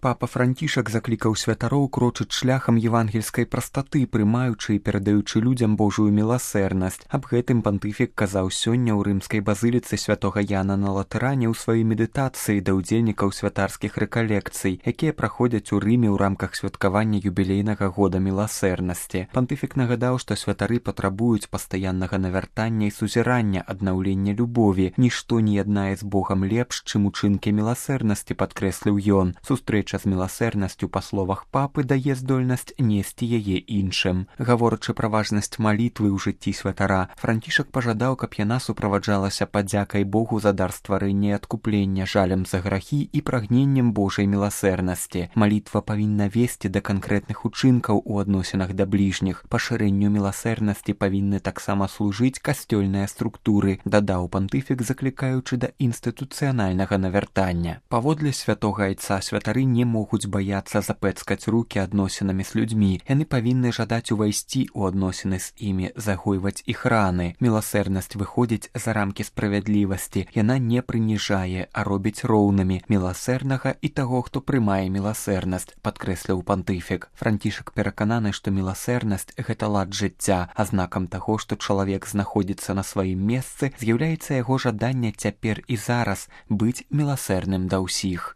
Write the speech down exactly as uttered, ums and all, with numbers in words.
Папа Францішак заклікаў святароў крочыць шляхам евангельскай прастаты, прымаючы і перадаючы людзям Божую міласэрнасць. Аб гэтым пантыфік казаў сёння ў рымскай базыліцы святога Яна на Латэране ў сваёй медытацыі да ўдзельнікаў святарскіх рэкалекцый, якія праходзяць у Рыме ў рамках святкавання юбілейнага года міласэрнасці. Пантыфік нагадаў, што святары патрабуюць пастаяннага навяртання і сузірання, аднаўлення любові. Нішто не яднае з Богам лепш, чым учынкі міласэрнасці, падкрэсліў ён. Сустрэча з міласэрнасцю, па словах папы, дае здольнасць несці яе іншым. Гаворачы пра важнасць малітвы ў жыцці святара, Францішак пажадаў, каб яна суправаджалася падзякай Богу за дар стварэння і адкуплення, жалем за грахі і прагненнем Божай міласэрнасці. Малітва павінна весці да канкрэтных учынкаў у адносінах да бліжніх. Пашырэнню міласэрнасці павінны таксама служыць касцёльныя структуры, дадаў пантыфік, заклікаючы да інстытуцыянальнага навяртання. Паводле святога айца святары не могуць баяцца запэцкаць рукі адносінамі з людзьмі. Яны павінны жадаць увайсці ў адносіны з імі, загойваць іх раны. Міласэрнасць выходзіць за рамкі справядлівасці. Яна не прыніжае, а робіць роўнымі міласэрнага і таго, хто прымае міласэрнасць, падкрэсліў пантыфік. Францішак перакананы, што міласэрнасць – гэта лад жыцця, а знакам таго, што чалавек знаходзіцца на сваім месцы, з'яўляецца яго жаданне цяпер і зараз быць міласэрным да ўсіх.